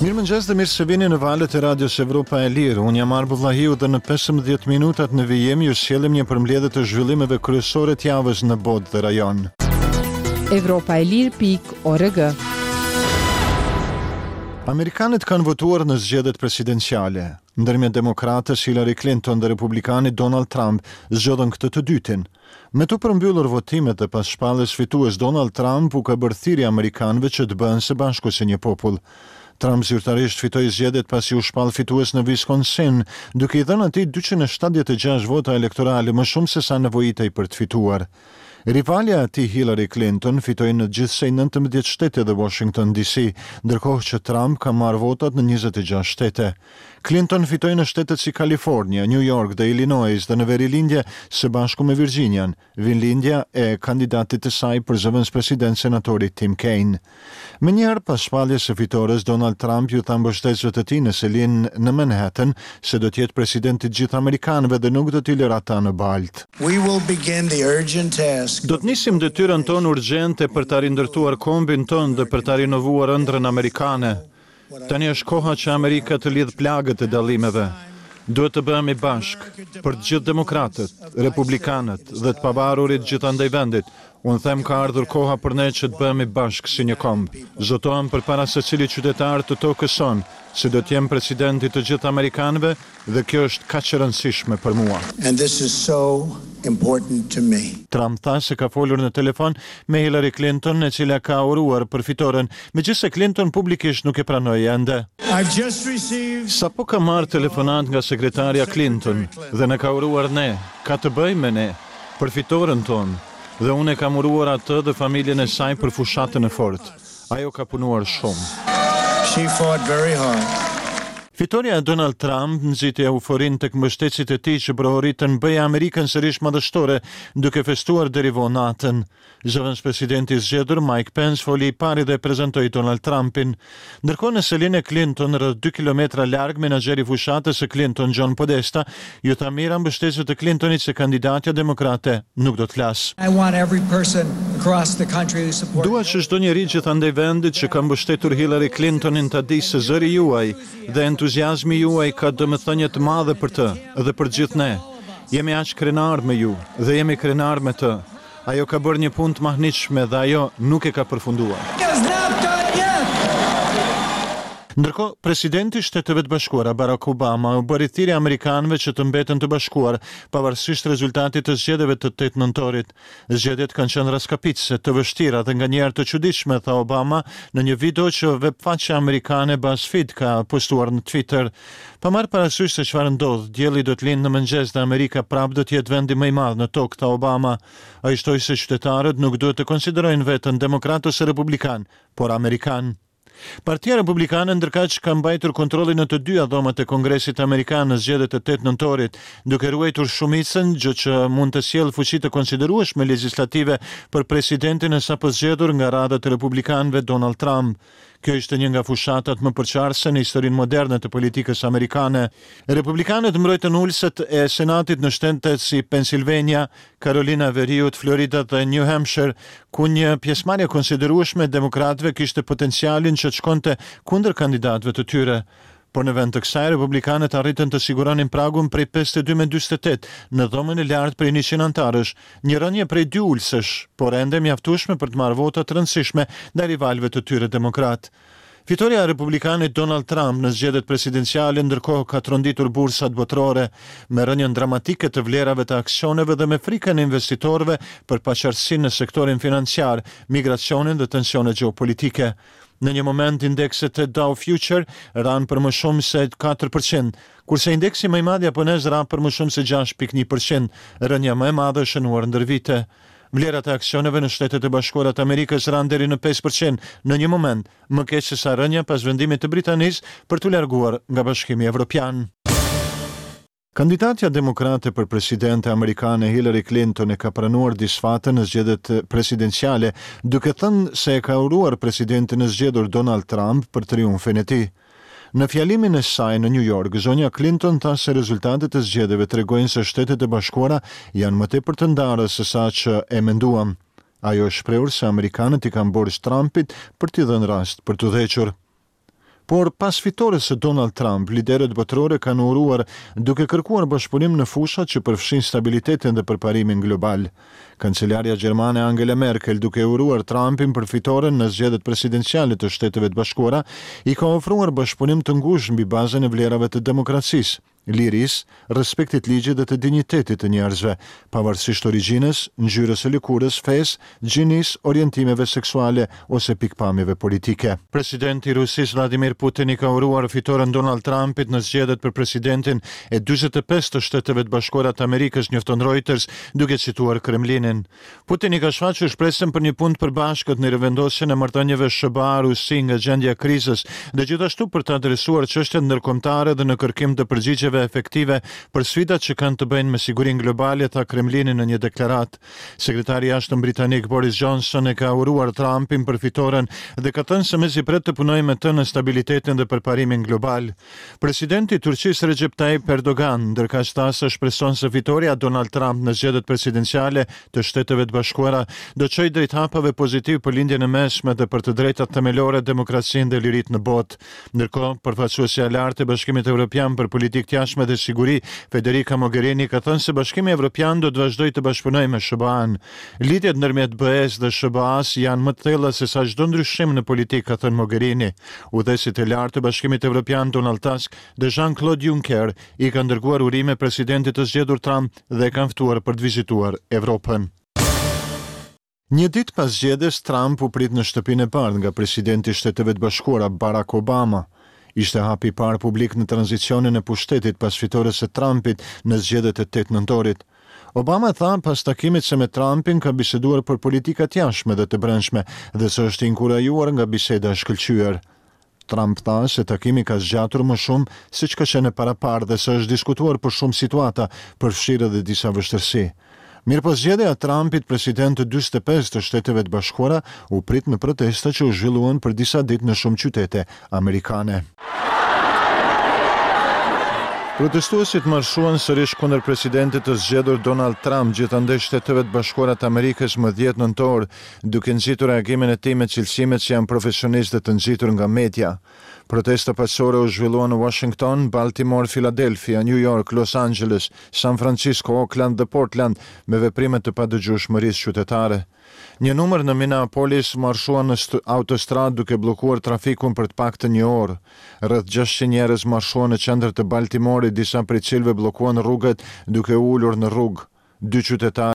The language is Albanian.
Mirëmëngjes dhe mirë se vini në valët e Radios Evropa e Lirë. Unë jam Arbër Vllahiu dhe në 15 minutat në vijim ju sjellim një përmbledhje të zhvillimeve kryesore të javës në botë dhe rajon. Evropa e Lirë pikë org. Amerikanët kanë votuar në zgjedhjet presidenciale. Ndërmjet demokrates Hillary Clinton dhe republikanit Donald Trump zgjodhën këtë të dytin. Me t'u përmbyllur votimet dhe pas shpalljes fitues Donald Trump u ka bërë thirrje amerikanëve që të bëhen së bashku si një popull. Trump zyrtarisht fitoi zgjedhjet pasi u shpall fitues në Wisconsin, duke i dhënë atij 276 vota elektorale më shumë se sa nevojitej për të fituar. Rivalja e tij Hillary Clinton fitoi në gjithsej 19 shtete dhe Washington DC, ndërkohë që Trump ka marrë votat në 26 shtete. Clinton fitoi në shtetet si Kalifornia, New York dhe Illinois dhe në verilindje së bashku me Virxhinian, vendlindja e kandidatit të saj për zëvendëspresident senatorit Tim Kaine. Menjëherë pas shpalljes së fitores, Donald Trump iu tha mbështetësve të tij në selinë në Manhattan se do të jetë president i të gjithë amerikanëve dhe nuk do t'i lërë ata në baltë. Do të nisim detyrën tonë urgjente për ta rindërtuar kombin tonë dhe për ta rinovuar ëndrrën amerikane. Tani është koha që Amerika të lidhë plagët e dallimeve. Duhet të bëhemi bashkë, për të gjithë demokratët, republikanët dhe të pavarurit gjithandej vendit. Unë them ka ardhur koha për ne që të bëhemi bashkë si një komb. Zotohem përpara secilit qytetar të tokës sonë se do të jem president i të gjithë amerikanëve Dhe kjo është kaq e rëndësishme për mua. And this is so important to me. Trump tha se ka folur në telefon me Hillary Clinton, e cila ka uruar për fitoren, megjithëse Clinton publikisht nuk e pranoi ende. I've just received. Sapo kam marrë telefonatë nga sekretarja Clinton dhe na ka uruar ne, ka të bëjë me ne, për fitoren tonë, dhe unë e kam uruar atë dhe familjen e saj për fushatën e fortë. Ajo ka punuar shumë. She fought very hard. Fitorja e Donald Trump nxiti euforinë tek mbështetësit e tij që brohoritën Bëje Amerikën sërish madhështore, duke festuar deri vonë natën. Zëvendëspresidenti i zgjedhur Mike Pence foli i pari dhe prezantoi Donald Trumpin. Ndërkohë në selinë e Clinton, rreth dy kilometra larg, menaxheri i fushatës së Clinton, John Podesta, iu tha mijëra mbështetësve të Clintonit se kandidatja demokrate nuk do të flasë. Dua që çdo njeri gjithandej vendit që ka mbështetur Hillary Clintonin ta dijë se zëri juaj dhe entuziazmi juaj ka domethënie të madhe për të dhe për të gjithë ne. Jemi aq krenarë me ju dhe jemi krenarë me të. Ajo ka bërë një punë të mahnitshme dhe ajo nuk e ka përfunduar. Ndërkohë, presidenti i Shteteve të Bashkuara, Barack Obama, u bëri thirrje amerikanëve që të mbeten të bashkuar, pavarësisht rezultatit të zgjedhjeve të 8 nëntorit. Zgjedhjet kanë qenë rraskapitëse, të vështira dhe nganjëherë të çuditshme, tha Obama në një video që webfaqja amerikane BuzzFeed ka postuar në Twitter. Pa marrë parasysh se çfarë ndodh, dielli do të lindë në mëngjes dhe Amerika prapë do të jetë vendi më i madh në tokë, tha Obama. Ai shtoi se qytetarët nuk duhet të konsiderojnë veten demokratë ose republikanë, por amerikanë. Partia Republikane ndërkaq ka mbajtur kontrollin në të dyja dhomat e Kongresit Amerikan në zgjedhjet e 8 nëntorit, duke ruajtur shumicën, gjë që mund të sjellë fuqi të konsiderueshme legjislative për presidentin e sapozgjedhur nga radhët e republikanëve Donald Trump. Kjo ishte një nga fushatat më përçarëse në historinë moderne të politikës amerikane. Republikanët mbrojtën ulëset e Senatit në shtete si Pennsylvania, Karolina e Veriut, Florida dhe New Hampshire, ku një pjesëmarrje e konsiderueshme e demokratëve kishte potencialin që të shkonte kundër kandidatëve të tyre. Por në vend të kësaj, republikanët arritën të siguronin pragun prej 52 me 48 në dhomën e lartë prej 100 anëtarësh, një rënie prej dy ulësesh, por ende e mjaftueshme për të marrë vota të rëndësishme ndaj rivalëve të tyre demokratë. Fitorja e republikanit Donald Trump në zgjedhjet presidenciale ndërkohë ka tronditur bursat botërore, me rënien dramatike të vlerave të aksioneve dhe me frikën e investitorëve për paqartësinë në sektorin financiar, migracionin dhe tensionet gjeopolitike. Në një moment indekset e Dow Future ranë për më shumë se 4%, kurse indeksi më i madh japonez ra për më shumë se 6.1%, rënia më e madhe e shënuar ndër vite. Vlerat e aksioneve në Shtetet e Bashkuara të Amerikës ranë deri në 5% në një moment, më keq se sa rënia pas vendimit të Britanisë për t'u larguar nga Bashkimi Evropian. Kandidatja demokrate për presidente amerikane Hillary Clinton e ka pranuar disfatën në zgjedhjet presidenciale, duke thënë se e ka uruar presidentin e zgjedhur Donald Trump për triumfin e tij. Në fjalimin e saj në New York, zonja Clinton tha se rezultatet e zgjedhjeve tregojnë se Shtetet e Bashkuara janë më tepër të ndara se sa që e menduam. Ajo është shprehur se amerikanët i kanë borxh Trumpit për t'i dhënë rast për të udhëhequr. Por, pas fitores së Donald Trump, liderët botërorë kanë uruar duke kërkuar bashkëpunim në fushat që përfshijnë stabilitetin dhe përparimin global. Kancelarja gjermane Angela Merkel, duke uruar Trumpin për fitoren në zgjedhjet presidenciale të Shteteve të Bashkuara, i ka ofruar bashkëpunim të ngushtë mbi bazën e vlerave të demokracisë. lirisë, respektit ligjit dhe të dinjitetit të njerëzve, pavarësisht origjinës, ngjyrës së lëkurës, fesë, gjinisë, orientimeve seksuale ose pikëpamjeve politike. Presidenti i Rusisë, Vladimir Putin i ka uruar fitoren Donald Trumpit në zgjedhjet për presidentin e 45 të Shteteve të Bashkuara të Amerikës, njofton Reuters, duke cituar Kremlinin. Putin i ka shfaqur shpresën për një punë të përbashkët në rivendosjen e marrëdhënieve SHBA-Rusi nga gjendja e krizës dhe gjithashtu për të adresuar çështjet ndërkombëtare dhe në kërkim të përgjigjeve efektive për sfidat që kanë të bëjnë me sigurinë globale, tha Kremlini në një deklaratë. Sekretari i Jashtëm britanik Boris Johnson e ka uruar Trumpin për fitoren dhe ka thënë se mezi pret të punojë me të në stabilitetin dhe përparimin global. Presidenti i Turqisë Recep Tayyip Erdogan, ndërkaq tha se shpreson se fitorja e Donald Trump në zgjedhjet presidenciale të Shteteve të Bashkuara do çojë drejt hapave pozitivë për Lindjen e Mesme dhe për të drejtat themelore, demokracinë dhe liritë në botë. Ndërkohë, përfaqësuesja e lartë e Bashkimit Evropian për Politikë të Jashtme dhe Siguri, Federica Mogherini ka thënë se Bashkimi Evropian do të vazhdojë të bashkëpunojë me SHBA-në. Lidhjet ndërmjet BE-së dhe SHBA-së janë më të thella se sa çdo ndryshim në politikë, ka thënë Mogherini. Udhëheqësit e lartë të Bashkimit Evropian Donald Tusk dhe Jean-Claude Juncker i kanë dërguar urime presidentit të zgjedhur Trump dhe e kanë ftuar për të vizituar Evropën. Një ditë pas zgjedhjes, Trump u prit në Shtëpinë e Bardhë nga presidenti i Shteteve të Bashkuara, Barack Obama. Ishte hapi i parë publik në tranzicionin e pushtetit pas fitores së Trumpit në zgjedhjet e 8 nëntorit. Obama tha pas takimit se me Trumpin ka biseduar për politika të jashtme dhe të brendshme dhe se është inkurajuar nga biseda e shkëlqyer. Trump tha se takimi ka zgjatur më shumë seç ka qenë e paraparë dhe se është diskutuar për shumë situata, përfshirë edhe disa vështirësi. Mirëpo zgjedhja e Trumpit president të 45 të Shteteve të Bashkuara u prit me protesta që u zhvilluan për disa ditë në shumë qytete amerikane. Protestuesit marshuan sërish kundër presidentit të zgjedhur Donald Trump gjithandej Shteteve të Bashkuara të Amerikës më 10 nëntor, duke nxitur reagimin e tij me cilësimet se janë profesionistë dhe të nxitur nga media. Protesta paqësore u zhvilluan në Washington, Baltimore, Philadelphia, New York, Los Angeles, San Francisco, Oakland dhe Portland me veprime të padëgjueshmërisë qytetare. Një numër në Minneapolis marshuan në autostradë duke bllokuar trafikun për të paktën një orë. Rreth 600 njerëz marshuan në qendër të Baltimorit, disa prej cilëve bllokuan rrugët duke u ulur në rrugë. Dy qytetarë.